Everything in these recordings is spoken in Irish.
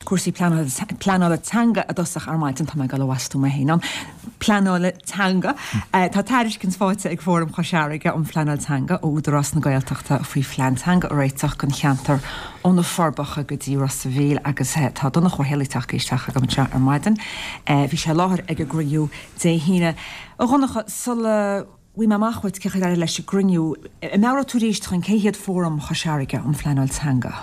cúrsaí pleanála teanga i dtosach ar maidin, tá mé ag dul a mhastú mé féin ann, pleanála teanga. Tá tairiscint faighte ag Fóram Chois Fharraige um Phleanáil Teanga ó Údarás na Gaeltachta faoi phlean teanga a réiteach don cheantar ó na Forbacha go dtí Ros a' Mhíl agus tá Donncha Ó Héalaí tagtha isteach agam anseo ar maidin. Bhí sé i láthair ag an gcruinniú Dé hAoine. A Dhonncha, sula bhfaighidh mé amach uait cén chaoi ar éirigh leis an gcruinniú, an meabhróidh tú arís dúinn cé hiad Fóram Chois Fharraige um Phleanáil Teanga?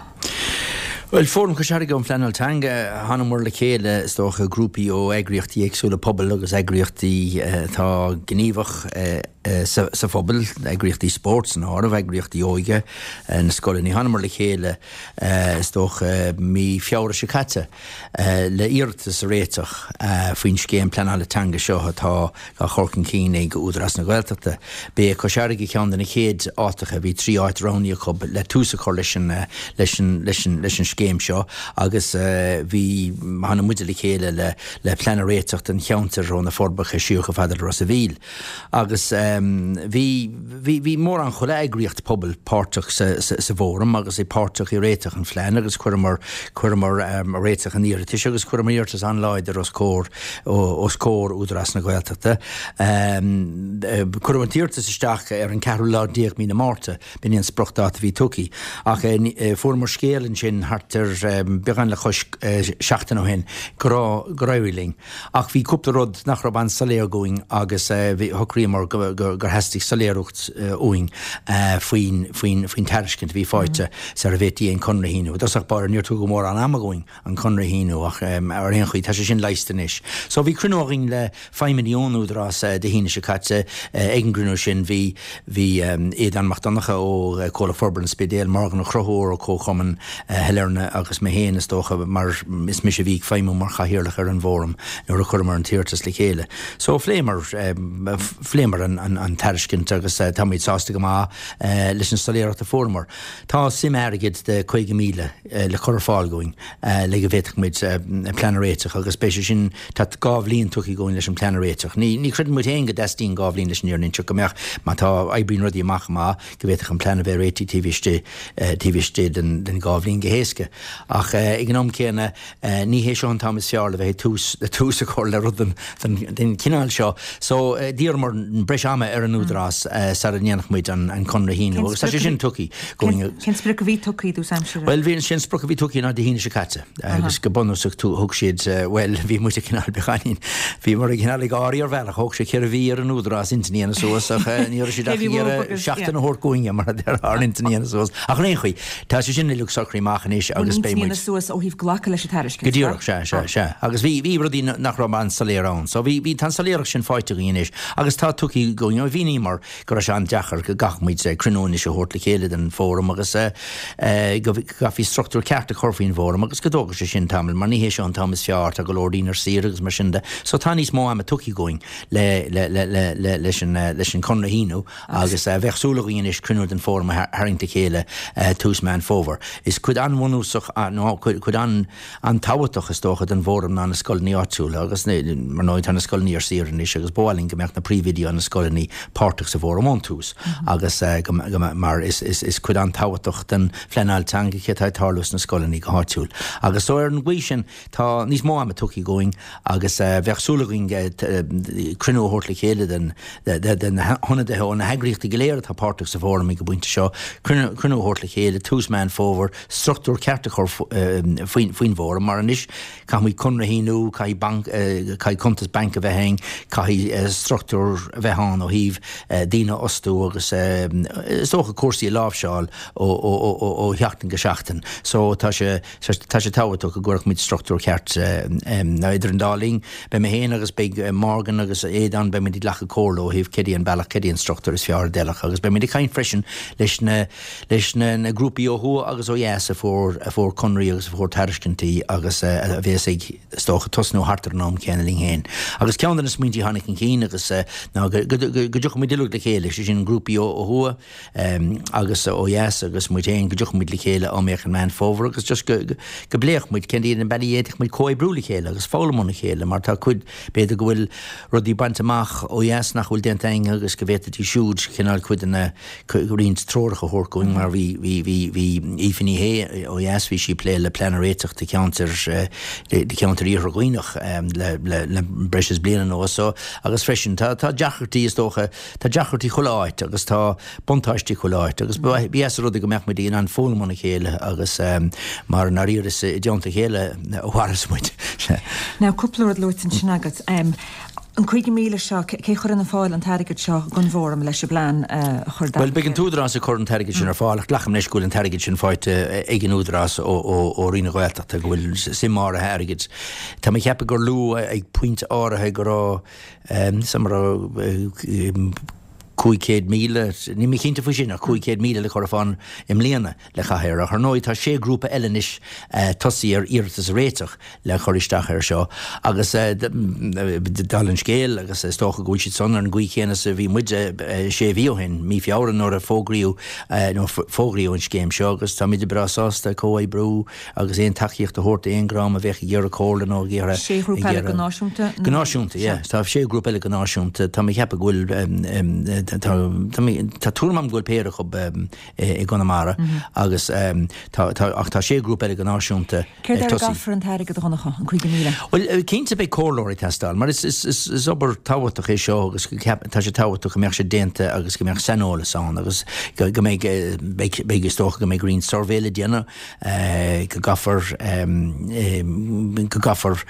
Bhuel, Fóram Chois Fharraige um Phleanáil Teanga, thánamar le chéile, is dócha, grúpaí ó eagraíochtaí éagsúla pobail agus eagraíochtaí atá gníomhach sa phobal, eagraíochtaí spóirt san áireamh, eagraíochtaí óige, na scoileanna. Thánamar le chéile, is dócha, mí Feabhra seo caite le iarratas a réiteach faoin scéim pleanála teanga seo atá á chur chun cinn ag Údarás na Gaeltachta. B'é Cois Fharraige ceann de na chéad áiteacha, bhí 3 áit roghnaithe acu le tús a chur leis an leis an leis an leis an scéim seo agus bhí tháinig muide le chéile le le plean a réiteach don cheantar ó na Forbacha siar chomh fada le Ros a' Mhíl. Agus bhí bhí bhí mórán chuile eagraíocht pobail páirteach sa sa sa bhfóram agus é páirteach i réiteach an phlean agus chuireamar chuireamar réiteach an iarratais agus chuireamar iarratas an-láidir os comhair os comhair Údarás na Gaeltachta. Cuireadh an t-iarratas isteach ar an ceathrú lá déag mí na Márta, b'in é an spriocdháta a bhí tugtha. Ach fuaireamar scéal ansin thart ar beagán le cois seachtain ó shin go raibh, gur éirigh linn. Ach bhí cúpla rud nach raibh an-soiléir dhúinn agus shocraíomar gur theastaigh soiléireacht uainn faoin, faoin, faoin tairiscint a bhí faighte sara bhféadfaí an conradh a shíniú. I dtosach báire níor tugadh mórán ama dhúinn. an conradh a shíniú ach ar aon chaoi tá sé sin leigheasta anois. So bhí cruinniú againn le feidhmeannaigh ón Údarás Dé hAoine seo caite. Ag an gcruinniú sin bhí bhí Aodán Mac Donncha ó Comhlacht Forbartha an Spidéil, Morgan Ó Conchúir ó Comharchumann Shailearna agus mé féin is dócha mar is mise a bhí ag feidhmiú mar chathaoirleach ar an bhfóram nuair a chuireamar an t-iarratas le chéile. So phléamar phléamar an an an tairiscint agus táimid sásta go maith leis an soiléireacht a fuaireamar. Tá suim airgid de 50,000 le cur ar fáil dhúinn le go bhféadfadh muid plean a réiteach agus beidh sé sin, tá 2 bhliain tugtha dhúinn leis an plean a réiteach. Ní, ní chreideann muid féin go dteastaíonn 2 bhliain leis an fhírinne a inseacht, go mbeadh, má tá, oibríonn rudaí amach go maith, go bhféadfadh an plean a bheith réitithe taobh istigh, taobh istigh den, den 2 bhliain go héasca. Ach ag an am céanna, Ní hé seo an t-am is fearr le bheith ag tús le tús a chur le rud den den chineál seo. So d'iarramar breis ama ar an Údarás sara ndéanfadh muid an conradh a shíniú agus tá sé sin tugtha dhúinn. Cén sprioc a bhí tugtha i dtús aimsire? Bhuel bhí sé an sprioc a bhí tugtha ná Dé hAoine seo caite agus go bunúsach thug siad bhuel bhí muid ag cineál beagáinín bhíomar ag cineál ag gáirí ar bhealach thóg sé 4 mhí ar an Údarás intinn a dhéanamh suas ach ní raibh siad ach ag iarraidh seachtain a thabhairt dhúinne mar a déarfá ar intinn a dhéanamh suas ach ar aon chaoi Tá sé sin uilig socraithe amach anois agus beidh muid. Intinn a dhéanamh suas ó thaobh glacadh leis an tairiscint, Go díreach, sea, sea, sea. Agus bhí, bhí rudaí nach raibh an-soiléir ann. So bhí, bhí, tá an soiléireacht sin faighte againn anois agus tá tugtha dhúinn, mhíníomar go raibh sé an-deacair go gcaithfeadh muid cruinniú anois a thabhairt le chéile den bhfóram agus go gcaithfí struchtúr ceart a chur faoin bhfóram agus go dtógfadh sé sin tamall mar ní hé seo an t-am is fearr, tá go leor daoine ar saoire agus mar sin de. So tá níos mó ama tugtha dhúinn le, le, le, le, le, leis an, leis an conradh a shíniú. Agus bheadh súil againn anois cruinniú den Fóram a tharraingt le chéile tús Meán Fómhair. Is cuid an-bhunúsach, nó cuid an-tábhachtach is dócha, den bhFóram ná na scoileanna áitiúla agus mar ndóigh tá na scoileanna ar saoire anois agus ba mhaith linn go mbeadh na príomhoidí ó na scoileanna páirteach sa bhFóram ón tús agus go mar is cuid an-tábhachtach den phleanáil teanga cé atá ag tarlú sna scoileanna go háitiúil. Agus so ar an gcaoi sin Tá níos mó ama tugtha dhúinn agus bheadh súil againn cruinniú a thabhairt le chéile de na hionadaithe ó na heagraíochtaí go léir atá páirteach sa bhfóram ag an bpointe seo, cruinniú a thabhairt le chéile tús Meán Fómhair, struchtúr ceart a chur faoin bhfóram mar anois caithfimid conradh a shíniú, caithfidh banc, caithfidh cuntas bainc a bheith againn, caithfidh struchtúr a bheith ann ó thaobh daoine a fhostú agus is dócha cúrsaí a láimhseáil ó sheachtain go seachtain. So tá sé. Tá sé tábhachtach go gcuirfeadh muid struchtúr ceart idir an dá linn. Beidh mé féin agus beidh Morgan agus Aodán, beidh muid ag glacadh comhairle ó thaobh céard é an bealach, céard é an struchtúr is fearr a d'fheilfeadh agus beidh muid ag caint freisin leis na leis na na grúpaí ó thuaidh agus ó dheas a fuair a fuair conraí agus a fuair tairiscintí agus a bhéas ag is dócha tosnú thart ar an am céanna linn féin. Agus ceann de na smaointí a tháinig chun cinn agus ná go go go dtiocfadh muid uilig le chéile, sé sin grúpaí ó thuaidh, agus ó dheas agus muid féin go dtiocfadh muid le chéile am éicint i Meán Fómhair agus just go go bpléifeadh muid cén iad na bealaí a bhféadfadh muid comhoibriú le chéile agus foghlaim óna chéile mar tá cuid b'fhéidir go bhfuil rudaí bainte amach ó dheas nach bhfuil déanta againn agus go bhféadfaidís siúd cineál cuid de na roinnt treorach a thabhairt dhúinn mar bhí bhí bhí bhí Aoife Ní Shé ó dheas. dheas, bhí sí ag plé le plean a réiteach do cheantar, do cheantar Iarthar Dhuibhneach le breis is bliain anuas. So, agus freisin, tá, tá deacrachtaí is dócha, tá deacrachtaí chuile áit agus tá buntáistí chuile áit agus ba dheas an rud é go mbeadh muid in ann foghlaim óna chéile agus mar i ndáiríre is i dteannta a chéile a mhaireas muid. Now, cúpla rud luaite ansin agat. An 50,000 seo, cé a chuireann ar fáil an t-airgead seo don bhFóram leis an bplean a chur Bhuel, beidh an tÚdarás ag cur an t-airgead sin ar fáil ach glacaim leis go bhfuil an t-airgead sin faighte ag an Údarás ó Roinn na Gaeltachta, go bhfuil suim áirithe airgid. Tá mé ag ceapadh gur luadh ag pointe áirithe go raibh, suim a raibh 500,000, níl mé cinnte faoi sin, ach 500,000 le cur ar fáil i mbliana le caitheamh air. Ach ar ndóigh tá sé grúpa eile anois tosaithe ar iarratas a réiteach le cur isteach air seo agus dála an scéil agus is dócha go bhfuil siad san ar an gcaoi chéanna is a bhí muid sé mhí ó shin, mí Feabhra nuair a fógraíodh nó fógraíodh an scéim seo agus táimid breá sásta comhoibriú agus aon tacaíocht a thabhairt d'aon dream a bheadh ag iarraidh comhairle nó ag iarraidh. Sé ghrúpa eile go náisiúnta? Go náisiúnta, yeah. Tá sé ghrúpa eile go náisiúnta. Tá mé ag ceapadh go bhfuil, tá, tá tuairim agam go bhfuil péire acu i gConamara agus tá, tá, ach tá sé ghrúpa eile go náisiúnta Céard air a gcaithfear an t-airgead a Dhonncha, an 50,000? Bhuel, cinnte beidh comhairleoirí ag teastáil mar is, is, is, is obair tábhachtach é seo agus tá sé tábhachtach go mbeadh sé déanta agus go mbeadh saineolas ann agus go, go mbeidh, beidh, beidh, is dócha go mbeidh roinnt suirbhé le déanamh go gcaithfear go gcaithfear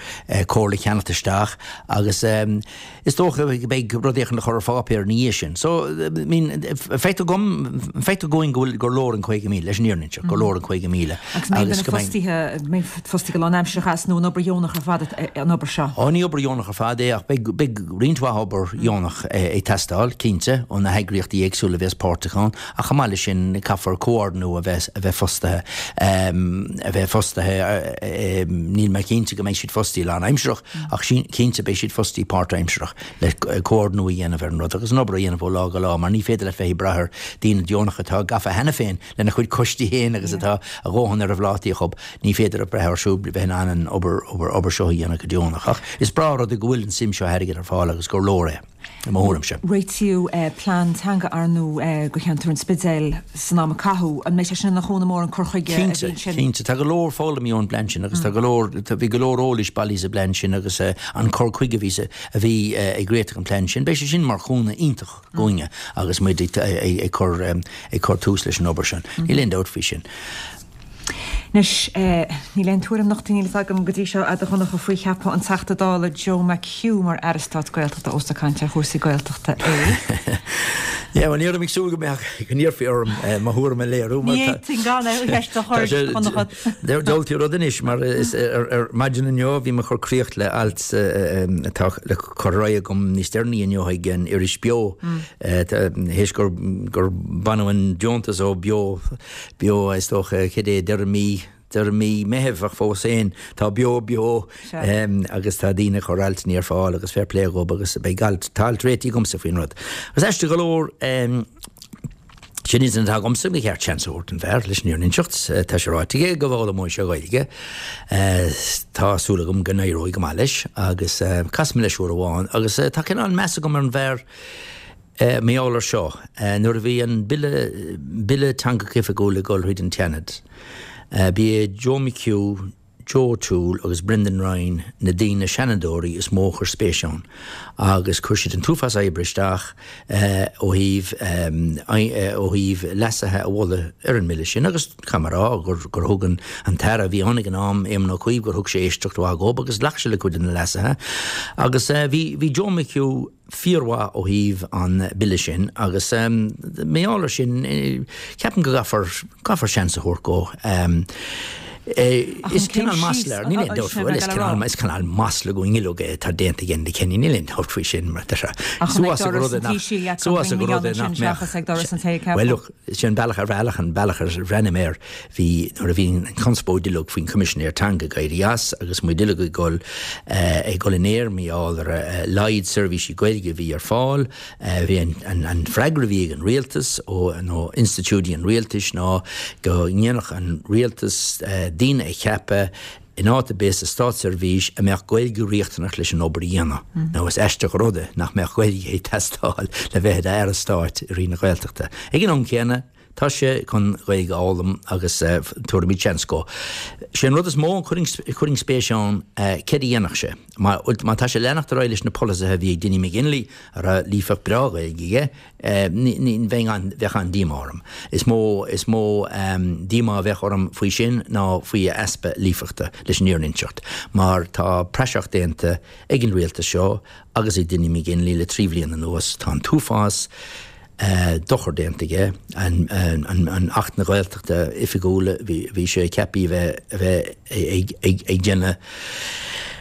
comhairle a cheannacht isteach agus is dócha go mbeidh rud éicint le cur ar pháipéar ina dhiaidh sin. So, I mean, feictear dom, feictear dúinn go bhfuil, gur leor an 50,000, leis an fhírinne a inseacht, gur leor an 50,000. Agus an mbeidh duine fostaithe, mbeidh fostaí go lánaimsearach as nó an obair dheonach ar fad an obair seo? Ó, ní obair dheonach ar fad é ach beidh, beidh roinnt mhaith obair dheonach ag teastáil, cinnte, ó na heagraíochtaí éagsúla a bheas páirteach ann. Ach chomh maith leis sin, caithfear comhordnú a bheith, a bheith fostaithe, a bheith fostaithe, níl mé cinnte go mbeidh siad fostaithe lánaimsearach, ach cinnte beidh siad fostaithe páirtaimsearach le comhordnú a dhéanamh ar an rud agus an obair a dhéanamh ó lá go lá mar ní féidir leat bheith ag brath ar daoine deonacha atá gafa cheana féin lena chuid coistí féin agus atá a dhóthain ar a bplátaí acu, ní féidir a bhrath orthu siúd bheith in ann an obair, obair, obair seo a dhéanamh go deonach. Ach is breá an rud é go bhfuil an suim seo airgid ar fáil agus gur leor é. i mo thuairimse. Réitíodh plean teanga ar ndóigh do cheantar an Spidéil san am a caitheadh. An mbeidh sé sin ina chúnamh mór an cur chuige a bhí ansin? Cinnte, cinnte. Tá go leor foghlamtha ón bplean sin agus tá go leor, bhí go leor eolais bailithe sa bplean sin agus an cur chuige a bhí sa, a bhí ag réiteach an plean sin. Beidh sé sin mar chúnamh iontach dhúinne agus muid ag cur, ag cur tús leis an obair sin. Níl aon dabht faoi sin. Anois, níl aon tuairim nochta níl fhios agam go dtí seo a'd a Dhonncha faoi cheapadh an Teachta Dála Joe McHugh mar Aire Stáit Gaeltachta ós ag caint ar chúrsaí Gaeltachta é. Yeah, bhuel ní raibh mé ag súil go mbeadh, go n-iarrfaí orm mo thuairim a léiriú mar tá. Ní fhéadfainn gan an cheist a chur, a Dhonncha. Diabhaltaí rud anois mar is ar maidin inniu bhí mé ag cur críoch le alt atá le cur ar aghaidh agam níos deireanaí inniu ag an iris Beo théis gur baineadh an deontas ó Beo Beo, is dócha, cad é, deireadh mí, deireadh mí Meithimh ach fós féin tá Beo beo agus tá daoine ag cur altanna ar fáil agus fair play dhób agus beidh alt, tá alt réitithe agamsa faoin rud. Agus aisteach go leor, sin intinn atá agamsa, ba cheart seans a thabhairt don bhfear leis an fhírinne a inseacht, tá sé ráite aige go bhfoghlaimeoidh sé Gaeilge, tá súil agam go n-éireoidh go maith leis agus chas mé leis uair amháin agus tá cineál meas agam ar an bhfear, Mar gheall ar seo, nuair a bhí an Bille, Bille Teangacha Oifigiúla ag dul thríd an tSeanad, ba é Joe McHugh, Joe O'Toole agus Brendan Ryan na daoine, Seanadóirí, is mó a chuir spéis ann agus chuir siad an t-uafás oibre isteach ó thaobh, ó thaobh leasuithe a mholadh ar an mBille sin agus caithfidh mé a rá gur, gur thug an, an tAire a bhí ann ag an am, Éamon Ó Cuív, gur thug sé éisteacht mhaith dhób agus ghlac sé le cuid de na leasuithe agus bhí, bhí Joe McHugh, fíormhaith ó thaobh an bille sin agus mar gheall ar sin ceapaim go gcaithfear, caithfear seans a thabhairt dhó. Is cineál masla, níl aon dabht faoi, bhuel is cineál, is cineál masla dhúinn uilig é atá déanta ag Enda Kenny, níl aon dabht faoi sin mar tá sé suas ag rud nach, suas ag rud nach mbeadh, bhuel look, sin bealach ar bhealach an bealach ar bhreathnaigh mé air, Bhí, nuair a bhí an chonspóid uilig faoin Choimisinéir Teanga ag éirí as agus muid uilig ag dul, ag dul in aer mar gheall ar a laghad seirbhísí Gaeilge a bhí ar fáil, bhí an, an freagra a bhí ag an rialtas ó, nó institiúidí an rialtais ná go ndéanfadh an rialtas daoine a cheapadh in áit ar bith sa státseirbhís a mbeadh Gaeilge riachtanach leis an obair a dhéanamh. Nó is aisteach an rud é nach mbeadh Gaeilge ag teastáil le bheith i d'Aire Stáit i Roinn na Gaeltachta. Ag an am céanna. Tá sé chun Gaeilge a fhoghlaim agus tabharfaimid seans dhó. Sé an rud is mó a chuirfinn spéis ann céard a dhéanfadh sé. Má tá sé leanacht ar aghaidh leis na polasaithe a bhí ag Dinny McGinley, a raibh líofacht breá Ghaeilge aige, ní bheinn an, bheadh an-díomá orm. Is mó, is mó díomá a bheadh orm faoi sin ná faoi a easpa líofachta leis an fhírinne a inseacht, mar tá praiseach déanta ag an rialtas seo agus ag Dinny McGinley le 3 bhliain anuas. Tá an t-uafás dochar déanta aige. An Acht na Gaeltachta Oifigiúla, bhí sé ceaptha a bheith ag déanamh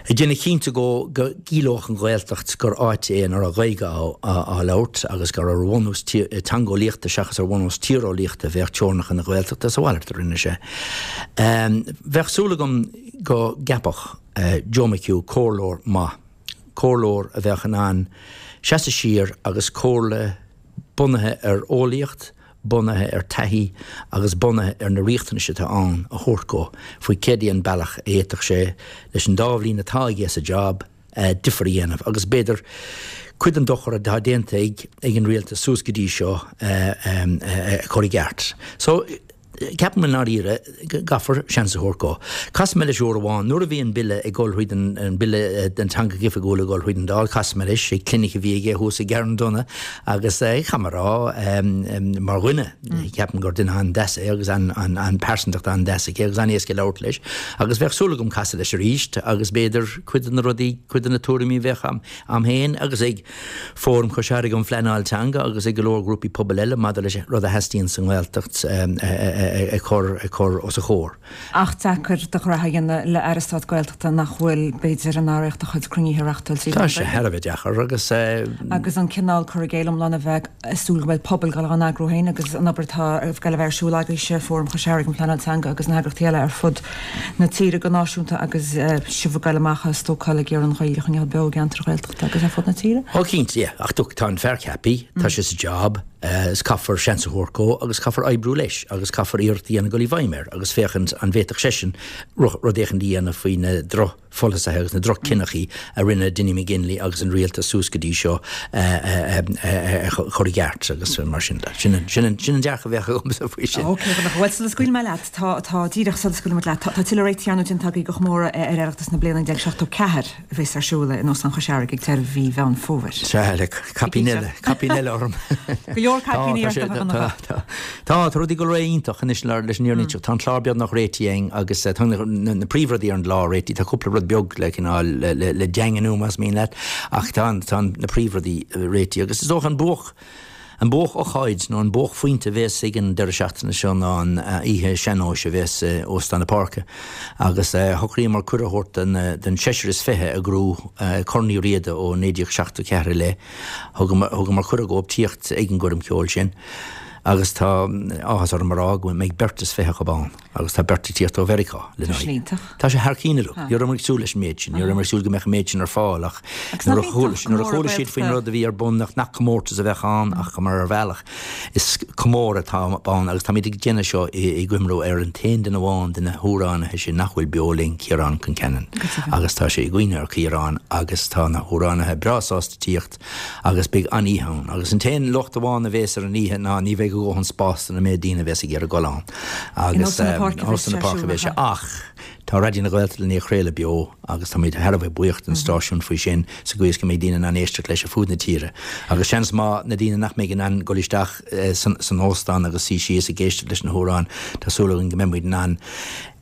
ag déanamh cinnte go gciallódh an Ghaeltacht gur áit é ina raibh Gaeilge á labhairt agus gur ar bhunús teangeolaíochta seachas ar bhunús tíreolaíochta a bheadh teorainneacha na Gaeltachta. Is a mhalairt a rinne sé. Bheadh súil agam go gceapfadh Joe McHugh comhairleoir maith. comhairleoir a bheadh in ann seasamh siar agus comhairle bunaithe ar eolaíocht, bunaithe ar taithí agus bunaithe ar na riachtanais atá ann a thabhairt dhó faoi céard é an bealach a fhéadfadh sé, leis an dá bhliain atá aige sa job, difear a dhéanamh agus b'fhéidir cuid den dochar atá déanta ag an rialtas suas go dtí seo a chur i gceart. So. Ceapaim i ndáiríre go gcaithfear seans a thabhairt dhó. Chas mé leis uair amháin nuair a bhí an Bille ag dul thríd an, an Bille don Teanga Oifigiúil ag dul thríd an Dáil, chas mé leis ag clinic a bhí aige thuas i gCarndonagh agus caithfidh mé a rá mar dhuine, ceapaim gur duine an-deas é agus an-pearsantacht an-deas aige agus an-éasca labhairt leis agus bheadh súil agam casadh leis arís agus b'fhéidir cuid de na rudaí, cuid de na tuairimí a bheadh a'm féin agus ag Fóram Chois Fharraige um Phleanáil Teanga agus ag go leor grúpaí pobail eile maidir leis an rud a theastaíonn sa nGaeltacht a chur os a chomhair. Ach deacair do ghraithe a dhéanamh le Aire Stáit Gaeltachta nach bhfuil, b'fhéidir, in araíocht a chuid cruinnithe a reachtáil trí mheán na Gaeilge. Tá sé thar a bheith deacair agus. Agus an cineál cur i gcéill iomlán a bheith ag súil go mbeidh pobal ag dul á n-eagrú féin agus an obair atá ag dul a bheith ar siúl agaibhse, Fóram Chois Fharraige um Phleanáil Teanga agus na heagraíochtaí eile ar fud na tíre go náisiúnta agus sibh ag dul amach ag stócáil ag iarraidh an Ghaeilge a choinneáil beo i gceantair Ghaeltachta agus ar fud na tíre. Ó cinnte, yeah. Ach look, tá an fear ceaptha, tá sé sa job, is caithfear seans a thabhairt dhó agus caithfear oibriú leis agus caithfear iarracht a dhéanamh dul i bhfeidhm air agus féachaint an bhféadfadh seisean rud éicint a dhéanamh faoi na droch pholasaithe agus na droch-chinneachaí a rinne Dinny McGinley agus an rialtas suas go dtí seo a chur i gceart agus mar sin de. Sin an dearcadh a bheadh agamsa faoi sin. Ok, bhuel sula scaoilfidh mé leat, tá, tá, díreach sula scaoilfidh muid leat, tá, tá tuilleadh réitithe ar ndóigh déanta agaibh do chomóradh ar Oireachtas na bliana 1974 a bheas ar siúl in Óstán Chois Fharraige ag deireadh mhí Mheán Fómhair. Sea, le caipín eile, caipín eile orm. Go leor caipíní ort, a Dhonncha. Tá, tá rudaí ag dul réidh iontach anois leis an fhírinne a inseacht. Tá an clár beagnach réitithe againn agus tá na príomhrudaí ar an gclár réitithe. Tá cúpla rud beag le cineál le daingniú más mian leat ach tá tá na príomhrudaí réitithe agus is dócha an buach an buach-ócáid nó an buachphointe a bhéas ag an deireadh seachtaine seo ná an oíche sean-nóis a bhéas i Óstán na Páirce agus shocraíomar cuireadh a thabhairt don don seisear is fiche a ghnóthaigh Corn Uí Riada ó 1974 i leith. Thugamar cuireadh dhóibh tíocht ag an gcoirm cheoil sin. Agus tá áthas orm a rá go mbeidh beirt is 20 acu ann agus tá beirt ag tíocht ó Mheiriceá lena Tá sin iontach. Tá sé thar cionn look. Ní rabhamar ag súil leis an méid sin. Ní rabhamar ag súil go mbeadh an méid sin ar fáil ach Agus nach nuair a iontach chuala nuair a comóradh chuala siad faoin Gaeltachta. rud a bhí ar bun nach nach comórtas a bheadh ann ach mar ar bhealach is comóradh atá ann agus táimid ag déanamh seo i i gcuimhniú ar an t-aon duine amháin de na hamhránaithe sin nach bhfuil beo linn, Ciarán Concannon. Go deimhin. Agus tá sé i gcuimhne ar Chiarán agus tá na hamhránaithe breá sásta tíocht Agus beidh an-oíche ann. Agus an t-aon locht amháin a bhéas ar an oíche ná ní bheidh a dhóthain spás don méid daoine a bhéas ag iarraidh dul ann. In Agus Óstán na Páirce a bheas Óstán sé na ar Páirce a siúl, bheas sé. nach ea? Ach tá Raidió na Gaeltachta len é a chraoladh beo agus táimid thar a bheith buíoch den stáisiún faoi sin sa gcaoi is go mbeidh daoine in ann éisteacht leis ar fud na tíre. Agus seans maith na daoine nach mbeidh in ann dul isteach san óstán agus suí síos ag éisteacht leis na hamhráin, tá súil againn go mbeidh muid in ann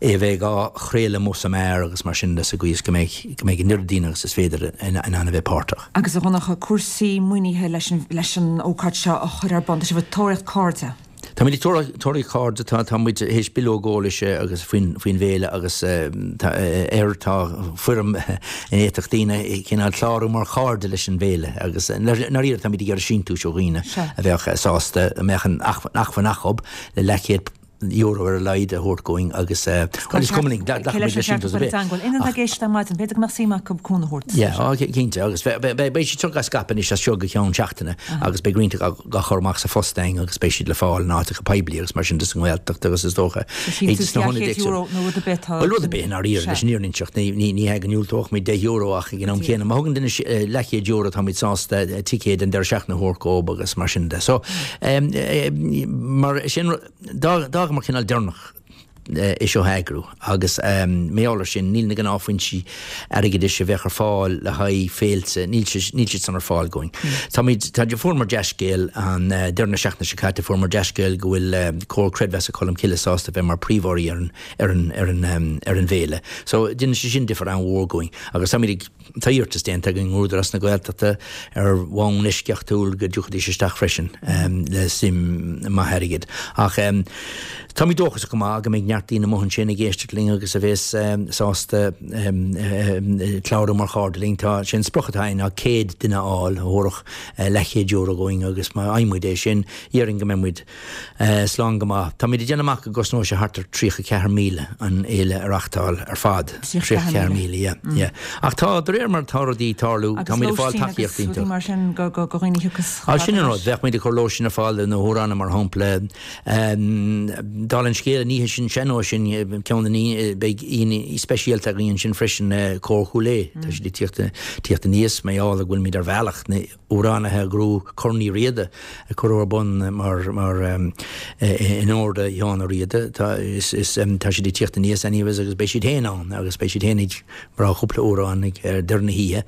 é a bheith á chraoladh amuigh san aer agus mar sin de sa gcaoi is go mbeidh go mbeidh an oiread daoine agus is féidir in ann a bheith páirteach. Agus a Dhonncha, cúrsaí maoinithe leis an leis an ócáid seo a chur ar bun, tá sibh ag tóraíocht cairde? Táimid ag tóraíocht cairde, tá tá muid théis bileog eolais agus faoin faoin bhféile agus tá air tá foirm ina bhféadfadh daoine cineál clárú mar chairde leis an bhféile agus i ndáiríre táimid ag iarraidh síntiúis ó dhaoine a bheadh sásta a mbeadh an acmhainn acu le leathchéad. euro ar a laghad a thabhairt dhúinn agus bhuel is cuma linn, glacfaidh muid leis sin dos ar bith. Aon duine atá ag éisteacht ar maidin, b'fhéidir go mbeadh suim acu cúnamh a thabhairt. Yeah, á cinnte agus beidh siad seo á scaipeadh anois as seo go ceann seachtaine agus beidh roinnt á chur amach sa phost againn agus beidh siad le fáil in áiteacha poiblí agus mar sin de sa nGaeltacht agus is dócha sna hionaid éagsúla. Nó rud ar bith tá. Bhuel rud ar bith i ndáiríre leis an fhírinne a inseacht ní hea go ndiúltódh muid €10 ach ag an am céanna má thugann duine leathchéad euro táimid sásta ticéad an deireadh seachtaine a thabhairt dhóibh agus mar sin de. So mar sin d'fhágamar cineál deireanach é seo a eagrú agus mar gheall air sin níl na gnáthfhoinsí airgeadais a bheadh ar fáil le haghaidh féilte, níl siad san ar fáil dhúinn. Táimid, tá, fuaireamar dea-scéal an deireadh na seachtaine seo caite, fuaireamar dea-scéal go bhfuil Comhar Creidmheasa Cholmcille sásta bheith mar príomhurraí ar an, ar an, ar an, ar an bhféile. So déanann sé sin difear an-mhór dhúinn agus táimid ag. Tá iarratas déanta againn ar Údarás na Gaeltachta ar bhonn eisceachtúil go dtiocfaidís isteach freisin le suim maith airgid. Ach táimid dóchasach go maith go mbeidh neart daoine amuigh ansin ag éisteacht linn agus a bhéas sásta clárú mar chairde linn. Tá sé an sprioc atá againn ná 100 duine a fháil a thabharfadh leathchéad euro dhúinn agus má fhaigheann muid é sin, déarfainn go mbeidh muid Slán go maith. Táimid ag déanamh amach go gcosnóidh sé thart ar 34,000 an fhéile a reachtáil ar fad. 34,000, yeah, yeah. Ach tá, de réir mar atá rudaí ag tarlú, táimid ag fáil tacaíocht iontach. Mar sin go dhaoine thiocfas Á, sin an rud. Bheadh muid ag cur lóistín ar fáil do na hamhránaithe, mar shampla. Dála an scéil, an oíche sin, sean-nós sin, ceann de na, beidh aíonna speisialta againn ansin freisin, Cór Chúil Aodha. Tá siad ag tíocht, tíocht aníos, mar gheall go bhfuilimid ar bhealach na. amhránaithe ghrúpa Corn Uí Riada a cuireadh ar bun mar mar in onóir do Sheán Ó Riada. Tá is is tá siad ag tíocht aníos anyways agus beidh siad féin ann agus beidh siad féin ag rá cúpla amhrán ag ar deireadh na hoíche.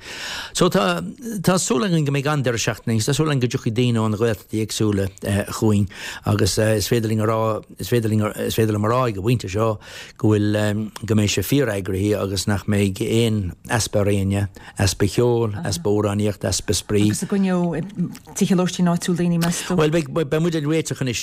So tá tá súil againn go mbeidh an-deireadh seachtaine agus tá súil againn go dtiocfaidh daoine ó na Gaeltachtaí éagsúla chugainn agus is féidir linn a rá is féidir linn is féidir liom a rá ag an bpointe seo go bhfuil go mbeidh sé fíor-eagraithe agus nach mbeidh aon easpa ar éinne. Easpa cheoil, easpa amhránaíochta, easpa spraoi. Agus an gcoinneoidh tithe lóistín áitiúil daoine, meas tú? Bhuel, beidh, beidh muid ag réiteach anois,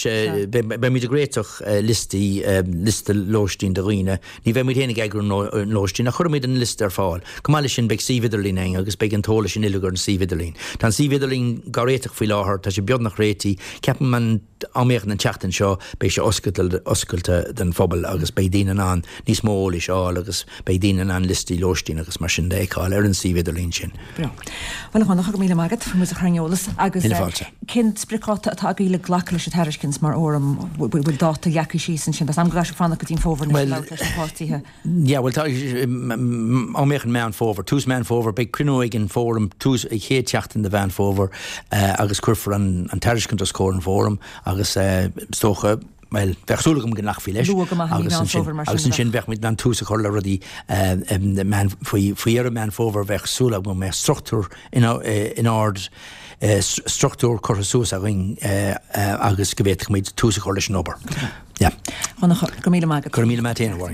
beidh muid ag réiteach liostaí, liosta lóistín do dhaoine. Ní bheidh muid féin ag eagrú an lóistín ach cuirfidh muid an liosta ar fáil. Chomh maith leis sin, beidh suíomh idirlín againn agus beidh an t-eolas sin uilig ar an suíomh idirlín. Tá an suíomh idirlín á réiteach faoi láthair, tá sé beagnach réitithe. Ceapaim an am éigin an tseachtain seo beidh sé oscailte, oscailte don phobal agus beidh daoine in ann níos mó eolais a fháil agus beidh daoine in ann liostaí lóistín agus mar sin de a fheiceáil ar an suíomh idirlín sin. Breá. Bhuel, a Dhonncha, go raibh míle maith agat, faoi muid a chur ar an eolas agus Míle fáilte. cén spriocdháta atá agaibh le glacadh leis an tairiscint mar fhóram? Bhfuil dáta leagtha síos ansin? Tá 's agam go gcaithfidh sibh fanacht go dtí an fómhar anois le labhairt leis na páirtithe. Yeah, bhuel tá, am éigin Meán Fómhair, tús Meán Fómhair, beidh cruinniú ag an bhfóram tús an chéad tseachtain de Mheán Fómhair agus cuirfear an an tairiscint os comhair an fhóraim agus is dócha, bhuel, bheadh súil agam go nglacfaí leis Luath go maith i mí Mheán Fómhair mar sin agus ansin bheadh muid in ann tús a chur le rudaí meán, faoi faoi dheireadh Meán Fómhair bheadh súil agam go mbeadh struchtúr in in ord, struchtúr curtha suas againn agus go bhféadfadh muid tús a chur leis an obair. Yeah. Donncha, go raibh míle maith agat. Go raibh míle maith agat féin, a Mháirín.